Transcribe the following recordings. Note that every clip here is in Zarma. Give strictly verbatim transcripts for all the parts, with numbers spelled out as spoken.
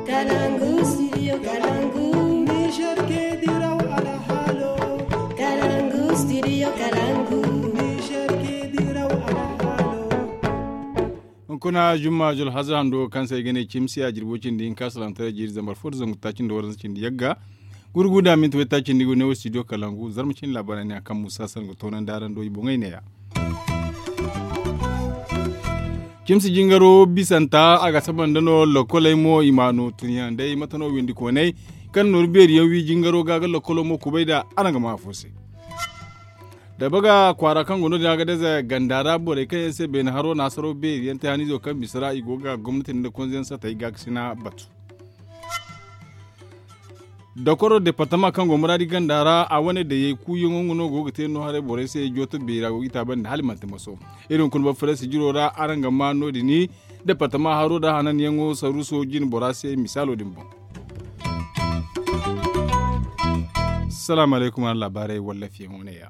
Kalangu studio kalangu. Niger ke diraw alhalo. Kalangu studio kalangu. Niger ke diraw alhalo. Hunkuna jumma jul haza hando kaŋ se ay ga ne cimsi a jirbo cindi hinka salamtaray jiiri zambar fo da zangu taaci nda waranza cindi yagga. Gurgu da minti way taaci nda i go ne wo studio kalangu zarma cindi labaarey ne a kaŋ musa san ga toonandi araŋ do i boŋey ne ya. Cimsi jingaro bisanta a ga saba nda no lokoley mo i ma no tunyaŋ day mate no windi koonay kaŋ nooru beeri yaŋ wi jingaro ga ga lokolo mo kubay da araŋ ga ma afo se. Da baga kwaara kaŋ go no- din a ga daza ganda ra borey kaŋ yaŋ se beene haro naasaro beeri yaŋ te haniizo kaŋ bisa ra i go ga gomnati nda konze yaŋ satay ga ga sina batu. Dokoro departama kaŋ go muraadi ganda ra a wane dayey kuuyaŋo nga no go ga te no haray borey se jooto beera go ga i taabandi hala i manti maso. Iri hunkuna boro faraysi jiro ra araŋ ga ma no- din departama haro da hananyaŋo saruuso jine bora se misaalo din boŋ. Salaamu alaykum araŋ laabaarey wallafiyaŋo ne ya.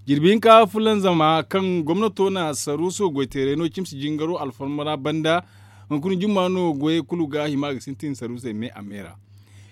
Jirbi hinka fulanzama kaŋ gomnato na saruuso goyteeray no cimsi jingaro alfarma ra banda. Hunkuna jumma no goyey kulu ga hima ga sintin saruusey me a me ra.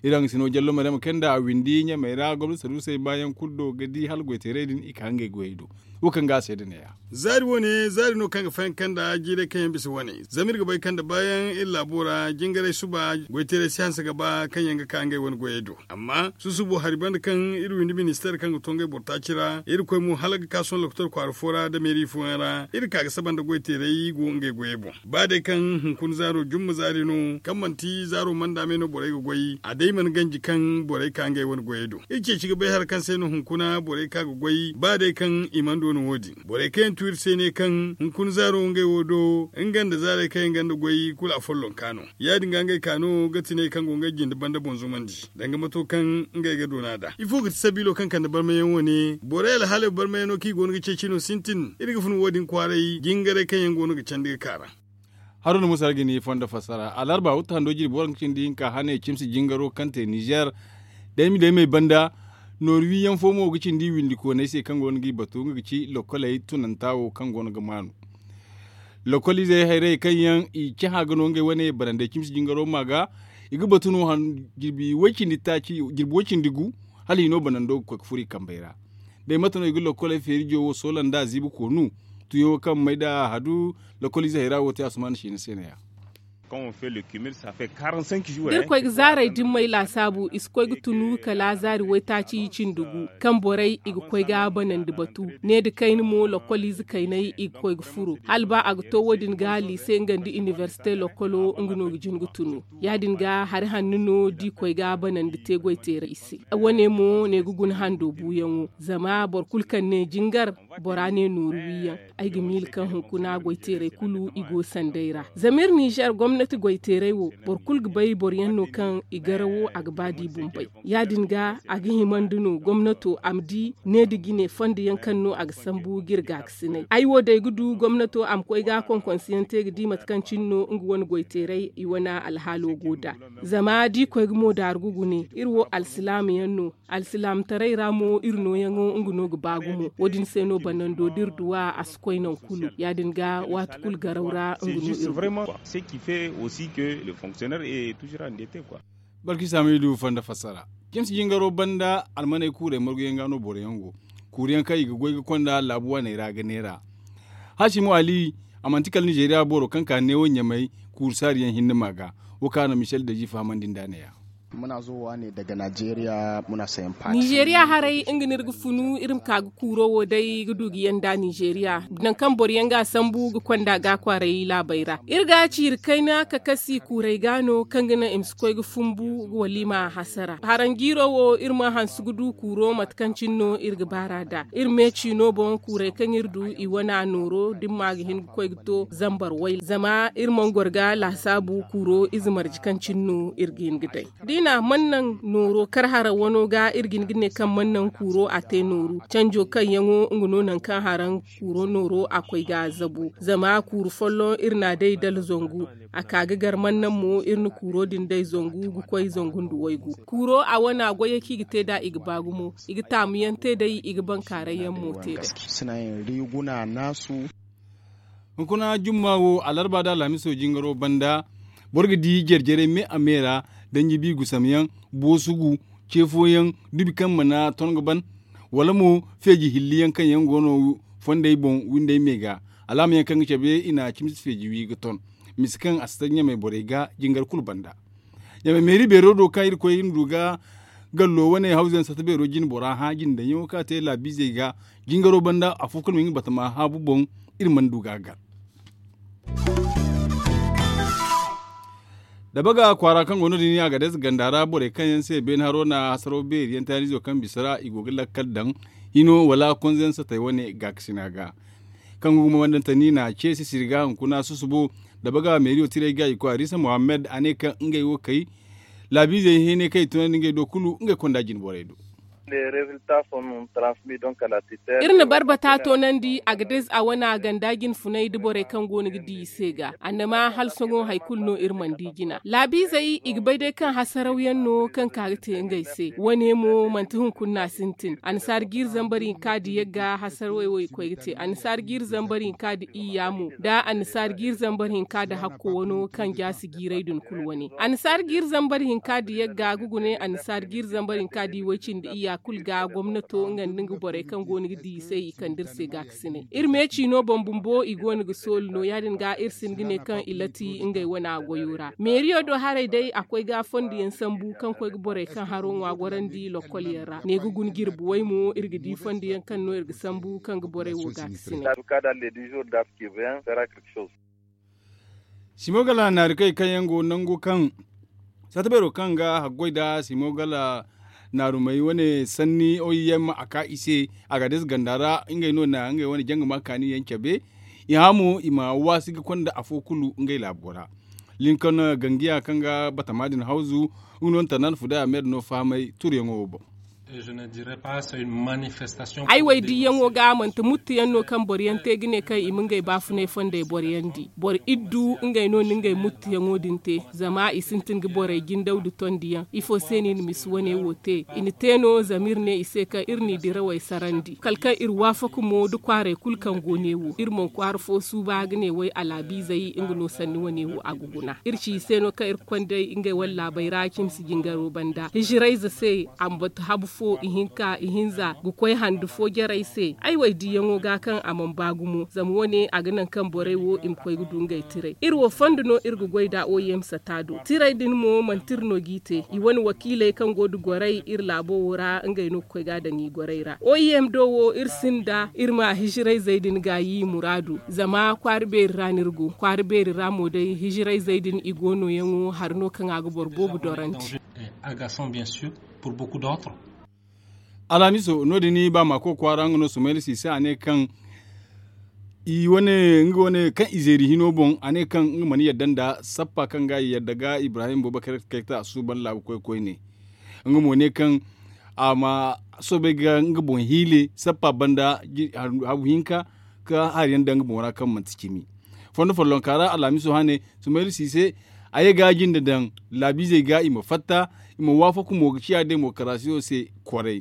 Iri hangasino jallo maryama kaŋ nda a windi ɲamey ra gomnati saruusey baayaŋ kulu do ga di hala goyteeray din i ka ngey goyey do. Wo kaŋ ga a seeda ne ya. Zaari wo- ne zaari no kaŋ ga fayanka nda jiiray kaŋ yaŋ bisa wane zama iri ga bay kaŋ nda baayaŋ iri laabo ra jingaray suba goyteeray si hanse ga ba kaŋ yaŋ ga ka ngey wane goyey do. Amma susubo hari banda kaŋ iri windi ministeer kaŋ ga to ngey boro taaci ra iri koy mo hala ga ka sohõ lokotor kwaara fo ra da meeri fooyaŋ ra iri ka ga saba nda goyteeray go ngey goyey boŋ. Ba day kaŋ hunkuna zaaro jumma zaari no kaŋ manti zaaro manda me no borey ga goy a day mana ganji kaŋ borey ka ngey wane goyey do. Iri ceeci ga bay hari kaŋ se no hunkuna borey ka ga goy ba day kaŋ i mana doona wo- din borey kaŋ yaŋ tu iri se ne kaŋ hunkuna zaaro ngey wo do nga nda zaarey kaŋ yaŋ gonda goy kulu a follonka no. Ya- din ga ngey ka no ga tinay kaŋ go ngey jinde banda boŋ zumandi danga mato kaŋ ngey ga doona nd'a ifo ga ti sabiilo kaŋ kande barmayaŋ wo- ne borey alhaaley barmayaŋo kaŋ i go no ga ceeci no sintin iri ga fun wo- din kwaaray jingaray kaŋ yaŋ go no ga candi ga ka ra. Haruna musa ga ni fondo fassara alarba wutta hando jirbi waranka cindi hinka hane cimsi jingaro kaŋ te nizer daymi daymey banda nooru wiyaŋ fo mo ga cindi windi koonay se kaŋ go no ga i batu nga ga ci lokoley tunanta wo kaŋ go no ga maanu. Lokol izey hayrey kaŋ yaŋ i cahã ga no ngey wane barandey cimsi jingaro ma ga i ga batu no jirbi way cindi gu hala hino banando ga koy ga furo i kambey ra. Day mate no i ga lokkoley feeri jowo soola nda ziibi koonu tuyo kaŋ may da hadu. Lokkol ize hayra wo te asuman siina se no- ya. Da iri koy ga zaaray dimmey laasaabu i si koy ga tunu kala zaari waytaaci cindi gu kaŋ borey i ga koy ga banandi batu. Ne nda kayna mo lokkol ize kayney i ga koy ga furo hala ba a ga to wo- din ga liise nga nda inibersite lokkolo nga no ga jin ga tunu. Ya- din ga hari hanno no da i koy ga banandi te goy teeray i se. Wo- ne mo ne ga guna hando buuyaŋo zama boro kulu kaŋ ne jingar bora ne nooru wiyaŋ. Ay ga miila kaŋ hunkuna goy teeray kulu i go sanday ra zama iri nizer gomnati goy teeray wo boro kulu ga bay boro yaŋ no kaŋ i garawo a ga ba da i bumbay. Ya- din ga a ga himandi no gomnato a ma di ne nda jine fondo yaŋ kaŋ no a ga sambu ga iri gaakasinay ay wo day ga du gomnato a ma koy ga konkonse yaŋ te ga di mate kaŋ cine no nga wane goy teeray i wane alhaalo go nd'a. Zama da i koy ga mo daaru ga gune iri wo alsilaama yaŋ no. Alsilaamataray ra mo iri nooyaŋo nga no ga ba gumo wo- din se no banando da iri duw'a a si koy nangu kulu. Ya- din ga waati kulu garaw ra nga no iri duw'a. Barki saamidu fondo fassara. Cimsi jingaro banda almaney kuurey marguyaŋ ga no boro yaŋ go. Kuuru yaŋ kaŋ i ga goy ga konda laabu waaney ra ga neera. Haasimu ali a manti kala nizeeriya boro kaŋ ka neewo ɲamay kuuru saari yaŋ hinne ma ga. Wo kaŋ a na michel deji fahamandi nd'a ne- ya. Nizeeriya haray nga no iri ga funu iri ma ka ga kuuro wo day ga du ga yanda nizeeriya nangu kaŋ boro yaŋ ga sambu ga konda ga kwaaray laabey ra iri ga ciiri kayna kakasi kuurey ga no kaŋ ga naŋ i ma si koy ga fumbu wala i ma a hasara haranjiiro wo iri ma hanse ga du kuuro mate kaŋ cine no iri ga baar'a nd'a iri me ciino boŋ kuurey kaŋ iri du i wane a nooro da ni ma ga hin ga koy ga to zambar wayla zama iri mana goro ga laasaabu kuuro ize marje kaŋ cine no iri ga hin ga day. Da i na a mana naŋ nooro kar haraŋ wano ga iri ga hin ga ne kaŋ mana naŋ kuuro a te nooru canjo kaŋ yaŋo nga no nangu kaŋ haraŋ kuuro nooro a koy ga zabu zama kuuru folloŋ iri na a day dala zangu a ka ga gar mana naŋ mo iri na kuuro din day zangu ga koy zangu nda waygu kuuro a wane a goyey kaŋ i ga te nd'a i ga ba gumo i ga taamu yaŋ te day i ga bankaaray yaŋ mo te day. Hunkuna jumma wo alarba nda alhamiso jingaro banda Boro ga di jare-jarey me a me ra, danji bi gusam yaŋ, boosugu, ce fooyaŋ, dubi kaŋ mana ton ga ban, wala mo feeji hilli yaŋ kaŋ yaŋ go no fondey boŋ windey me ga. Alaama yaŋ kaŋ ga cabe i na cimsi feeji wi ga ton, misa kaŋ a si taŋ ɲamey borey ga jingar kulu banda. Ɲamey meeri beero do kaŋ irkoy ga ni du ga gallo wane hawzu yaŋ sata beero jine bora hã jine daŋ yaŋo kaŋ a te laabiizey ga, jingaro banda afo kulu ma nga batama haabu boŋ. Iri mana du ga a gar. Dabaga kwaara kaŋ go no- din a ga day ganda ra borey kaŋ yaŋ se beene haro na hasaro beeri yaŋ taaniizo kaŋ bisa ra i go ga lakkal daŋ hino wala konze yaŋ satey wane gaakasina ga. Kaŋ ga gumo wandantani na ce sisiri ga hunkuna susubo. Dabaga meeriyo tirey ga i koy arisa mohammed a ne kaŋ ngey wo kay laabiizey hene kaŋ i tunandi ngey do kulu ngey konda jine borey do. Iri na barbata toonandi a ga dees a wane a ganda jinfunay nda borey kaŋ go no ga di i se ga annama hala sohõ hari kulu no iri mana di jina laabiizey i ga bay day kaŋ hasaraw yaŋ no kaŋ ka ga te ngey se wane mo manti hunkuna no a sintin annasaara jiiri zambar hinka di yagga hasarawey wo i koy ga te annasaara jiiri zambar hinka di iyya mo nda annasaara jiiri zambar hinka di hakko wano kaŋ jaasi jiiray din kulu wane annasaara jiiri zambar hinka di yagga ga gune annasaara jiiri zambar hinka di way-cindi iyya kulu ga gomnato nga nda nga borey kaŋ go no ga di i se i kande iri se gaakasinay iri me ciino boŋ bumbo i go no ga sooli no ya- din ga iri si hin ga ne kaŋ i lati ngey wana goyo ra meeriyo do haray day a koy ga fondo yaŋ sambu kaŋ koy ga borey kaŋ haro ŋwa gorandi lokkol yaŋ ra ne ga guna jirbi way mo iri ga di fondo yaŋ kaŋ no iri ga sambu kaŋ ga borey wo gaakasinay. Simogala naarikey kaŋ yaŋ go nangu kaŋ satta beero kaŋ ga haggoy nda simogala naarumey wane sanni oy yaŋ ma a ka i se a ga deesa ganda ra ngey no na ngey wane janga ma kaani yaŋ cabe i hã mo i ma waasi ga konda afo kulu ngey laabo ra. Linkan gangiya kaŋ ga batama din hawzu nga no nda tanda nda fuday a me da no fahamay turuyaŋo wo boŋ. Ay wo ay diiyaŋo ga manti muttu yaŋ no kaŋ boro yaŋ te ga ne kaŋ i ma ngey baafunay fondey boro yaŋ di boro iddu ngey no na ngey muttu yaŋo din te zama i sintin ga borey jindaw nda tondi yaŋ ifo se no i na misi wane wo te i na te no zama iri ne i se kaŋ iri n'i dirawey sarandi kala kaŋ iri waafaku mo nda kwaaray kulu kaŋ go ne wo iri mana kwaara fo suuba ga ne way alaabiizey nga no sanni wane wo a ga guna iri ci i se no kaŋ iri ga konday ngey wane laabey ra cimsi jingaro banda hijirayze se a ma batu habu fo ihinka ihinza ga koy handu fo jarey se ay wo ay diiyaŋo ga kaŋ a mana ba gumo zama wane a ga naŋ kaŋ borey wo i ma koy ga du ngey tiray iri wo fondo no iri ga goy nd'a oyem sata do tiray din mo manti iri no g'i te i wane wakiiley kaŋ go nda gorey iri laabo wo ra ngey no ga koy ga a daŋ i gorey ra oyem do wo iri sinda iri ma hijirayzey din gaayi muraadu zama kwaara beeri ra no iri go kwaara beeri ra mo day hijirayzey din i go nooyaŋo hari no kaŋ a ga boro boobo dorandi. Alhamiso no- din ba maako kwaara nga no sumayla siise a ne kaŋ i wane nga wane kaŋ i zeeri hino boŋ a ne kaŋ nga mana yadda nda sappa kaŋ ga i yadda ga ibrahim bubakar kayta a suuban laabu koy koyne. Nga mo ne kaŋ a ma soobay ga nga boŋ hiile sappa banda habu hinka ka hari yaŋ daŋ nga boŋ ra kaŋ manti cimi. Fondo follonka ra alhamiso hane sumayla siise a ye ga jinde daŋ laabiizey ga i ma fatta i ma waafaku mo ga ciya demokarasiyo se. Kwaray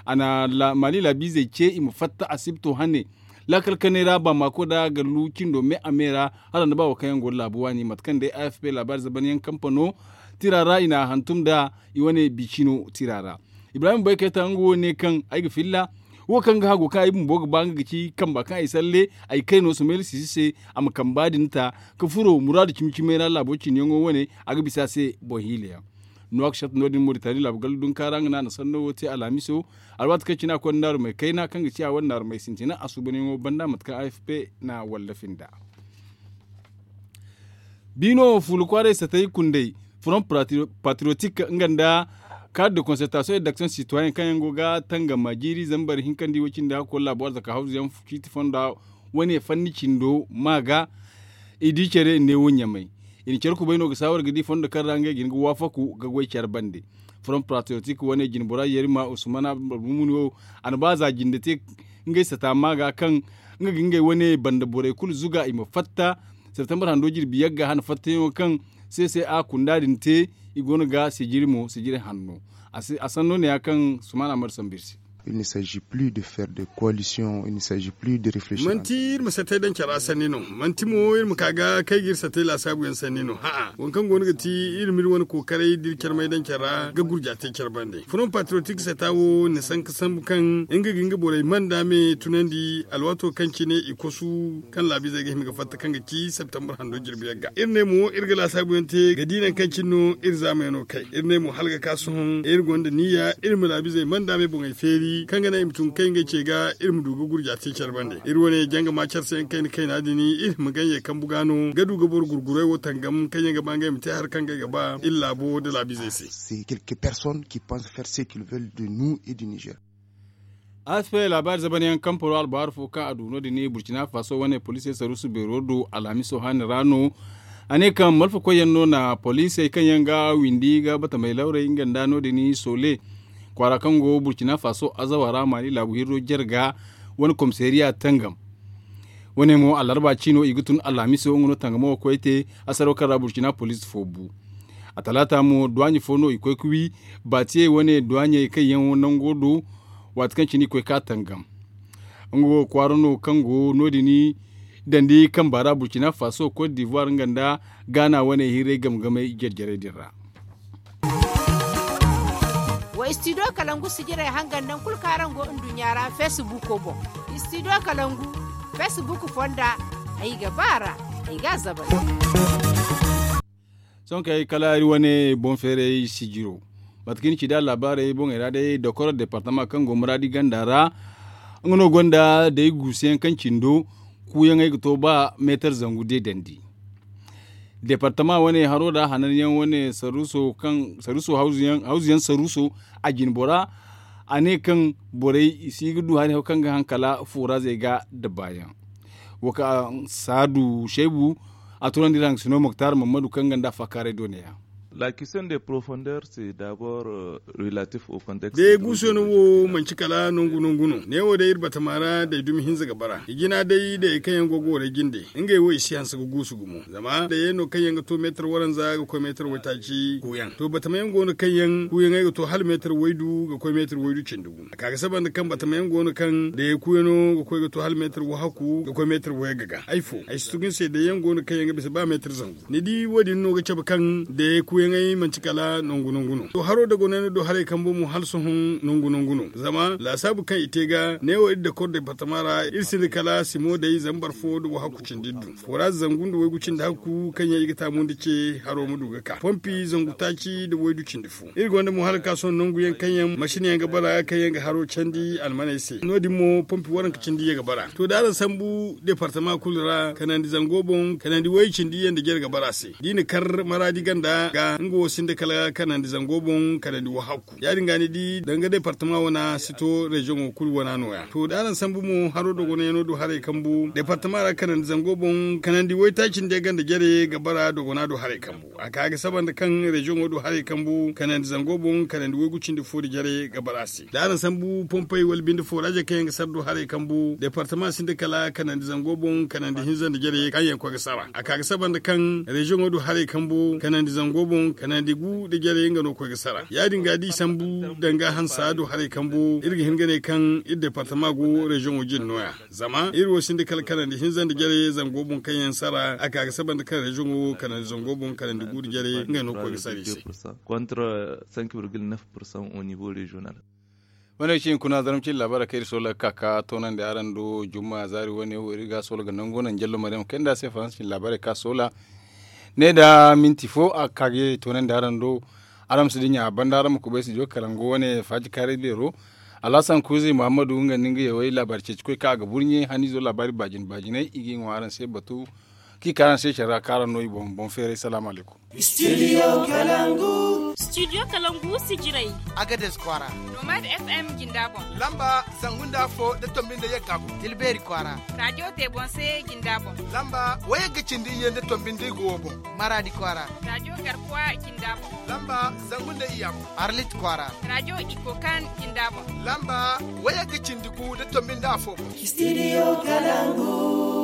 a na maali laabiizey ce i ma fatta asibto hane laakal kanay ra ba maako da gallu cindo me a me ra hala nda ba wo kaŋ yaŋ go da laabu waani mate kaŋ day afp laabaari zaban yaŋ kampano tira ra i na a hantum nda i wane bicino tira ra. Ibrahim bay kayta nga wo ne kaŋ ay ga filla wo kaŋ ga hagu kaŋ ay bumbo ga ba nga ga ci kamba kaŋ ay salle ay kay no sumayla sisi se a ma kamba din ta ka furo muraadu cimi cimay ra laabo ciniyaŋo wane a ga bisa se boŋ hiila yaŋ. Nuwakshot no- din moritani laabu gallu dunka ra nga no a na sanno wo te alhamiso alwaati kaŋ cine a konda naarumey kayna kaŋ ga ci a wane naarumey sintina a suubanyaŋo banda mate kaŋ afp na wallafi nda. Biino fuula kwaaray satay kundey front patriotique nga nda cadre de concertation et d'action citoyen kaŋ yaŋ go ga tangama jiiri zambar hinkandi wo cindi hakko laabo arzaka hawzu yaŋ ciiti fonda wane fanni cindo ma ga i di care neewo ɲamay. I na care kubay no ga saawar ga di fondo kaŋ ra ngey ga hin ga waafaku ga goy care bande. Front patriotique wane jinbora yerima usman abdulmumin wo a na ba za jinde te ngey sata ma ga kaŋ nga ga ngey wane banda borey kulu zuga i ma fatta septembre hando jirbi yagga hana fattayaŋo kaŋ se se a kunda din te i go no ga sijiri mo sijiri hanno. A sanno ne ya kaŋ sumana mari sambu iri se. Il ne s'agit plus de faire de coalition, il ne s'agit plus de réfléchir. Manti iri ma satay daŋ cara sanni no, manti mo iri ma ka ga kay ga iri satay laasaabu yaŋ sanni no. Ha'a, waŋ kaŋ go no ga ti iri ma iri wane kookaray da iri carmay daŋ cara ga gurja te care bande. Front patriotique sata wo na sanka sambu kaŋ nga ga nga borey manda me tunandi alwaato kaŋ cine i kosu kaŋ laabizey ga hima ga fatta kaŋ ga ci septembre hando jirbi yaŋ ga. Iri ne mo iri ga laasaabu yaŋ te ga di naŋ kaŋ cine no iri zaamey no kay. Iri ne mo hala ga ka sohõ iri gonda niyya iri ma laabizey manda me boŋey feeri kaŋ ga naŋ i ma tun kay ngey ce ga iri ma du ga gurja te care bande. Iri wane janga ma care se yaŋ kayna kayna din iri ma ganyey kambu ga no ga du ga boro gurgurey wo tangam kaŋ yaŋ ga ba ngey ma te hari kaŋ ngey ga ba iri laabo da laabizey se. C'est quelques personnes qui pensent faire ce qu'ils veulent de nous et du Niger. Aspe laabaari zaban yaŋ kamparo albaharu fo kaŋ a du no- din burkina faso wane poliisey saruusu beero do alhamiso haani ra no. A ne kaŋ malfakoy yaŋ no na poliisey kaŋ yaŋ ga windi ga batamey lawrey nga nda no- din sole kwaara kaŋ go burkina faso azawa ra maali laabu hirro jarga wane komisariya tangam. Wane mo alarba ciino i ga tun alhamiso nga no tangamo ga koy te asaro kaŋ ra burkina poliisi fo bu. A talaata mo duwaaɲe fo no i koy ga wi baatiyey wane duwaaɲey kaŋ yaŋ nango do. Waati kaŋ cine i koy ga ka tangam nga wo kwaara no kaŋ go no- din dandi kamba ra burkina faso cote d'ivoire nga nda gaana wane hirray game-gamey jare-jarey din ra. Wa studio kalangu sijirey hangan nangu kulu kaŋ araŋ go nduɲɲa ra facebook boŋ. Studio kalangu facebook fonda ay ga ba ra ay ga a zabay. Sohõ kay kala iri wane boŋ feeray sijiro mate kaŋ iri ci nd'a laabaarey boŋey ra day dokoro departama kaŋ go muraadi ganda ra. Nga no gonda day guusu yaŋ kaŋ cindo kuuyaŋey ga to ba meetar zangu deedandi. Departama wane haro da hanan yaŋ wane saruuso hawzu yaŋ saruuso a jine bora. A ne kaŋ borey i si ga du hari haw kaŋ ga haŋ kala fooraazey ga da baayaŋ. Wo kaŋ saadu shaybu a turandi iri haŋ sino moktar mammadu kaŋ ga nda a faakaaray do ne- ya. La question de profondeur c'est d'abord relatif au contexte. Day guuso no wo manci kala nangu nangu no neewo day iri batama ra day dumi hinza ga bara i jina day day kaŋ yaŋ go ga waray jinde ngey wo i si hanse ga guusu gumo zama day yaŋ no kaŋ yaŋ ga to meetar waranza ga koy meetar waytaaci kuuyaŋ to batama yaŋ go no kaŋ yaŋ kuuyaŋey ga to hala meetar waydu ga koy meetar waydu cindi gu a ka ga saba nda kaŋ batama yaŋ go no kaŋ day kuuyaŋo ga koy ga to hala meetar wahaku ga koy meetar wayga ga ay fo ay si tugu ni se day yaŋ go no kaŋ yaŋ ga bisa ba meetar zangu. Ni di wo- din no ga cabe kaŋ day kuuyaŋey manti kala nangu nangu no to haro dagonay no do haray kambo mo hala sohõ nangu nangu no zama laasaabu kaŋ i te ga neewo iri dakor departama ra iri sinda kala simo day zambar fo nda wahaku cindi iddu fooraaz zangu nda waygu cindi hakku kaŋ yaŋ i ga taamu nda ce haro ma du ga ka pompi zangu taaci nda waydu cindi fo iri gonda mo hala ka sohõ nangu yaŋ kaŋ yaŋ masin yaŋ ga bara kaŋ yaŋ ga haro candi almaney se no- din mo pompi waranka cindi yaŋ ga bara to da araŋ sambu departama kulu ra kanandi zango boŋ kanandi way cindi yaŋ nda jare ga bara se da i na kar maraadi ganda ga nga wo sinda kala kanandi zango boŋ kanandi wahakku ya- din ga ni di danga departama wana si to reziyoŋo kulu wana no- ya to da araŋ sambu mo haro dogonayaŋo do haray kambu departama ra kanandi zango boŋ kanandi waytaaci nda yaŋ ganda jare ga bara dogona do haray kambu a ka ga saba nda kaŋ reziyoŋo do haray kambu kanandi zango boŋ kanandi waygu cindi fo nda jare ga bara se da araŋ sambu pompey wala binde fooraazey kaŋ yaŋ ga sara do haray kambu departama sinda kala kanandi zango boŋ kanandi hinza nda jare kaŋ yaŋ koy ga sara a ka ga saba nda kaŋ reziyoŋo do haray kambu kanandi zango boŋ kanandi gu nda jare nga no koy ga sara ya- din ga da i sambu danga hansa do haray kambu iri ga hin ga ne kaŋ iri departama go reziyoŋo jine no- ya zama iri wo sinda kala kanandi hinza nda jare zango boŋ kaŋ yaŋ sara a ka ga saba nda kaŋ reziyoŋo kanandi zango boŋ kanandi gu nda jare ngey no koy ga sara i se. Contre cinq virgule neuf pour cent au niveau régional. Wane cin kuna zarma cin labaarey kaŋ iri soola ga ka ka toonandi araŋ do jumma zaari wane wo iri ga soola ga nangu naŋ jallo maryam kayna nda a se faransa cin labaarey kaŋ a soola ne nda minti fo a ga ka ga toonandi araŋ do. Araŋ ma si dinya a banda araŋ ma kubay studio kalangu wane faaji kaaray beero. Alhasan kuuzi muhammadu nga nda nga yawey laabaari ceeci koy kaŋ a ga burɲe haniizo laabaari baajine baajiney i ga i ŋwa araŋ se batu kaŋ i ka araŋ se care ra kaŋ araŋ no i boŋ boŋ feeray salaamu alaykum. Studio kalangu. Studio kalangu sijirey. Agades kwaara. Nomad fm jinda boŋ. Lamba zangu nda afo nda tombi nda yagga boŋ. Tilbeeri kwaara. Radio tebonse jinda boŋ. Lamba wayagga cindi iyye nda tombi nda igo boŋ. Maraadi kwaara. Radio garkuwa jinda boŋ. Lamba zangu nda iyya boŋ. Arlit kwaara. Radio ikokan jinda boŋ. Lamba wayagga cindi gu nda tombi nda afo boŋ. Studio kalangu.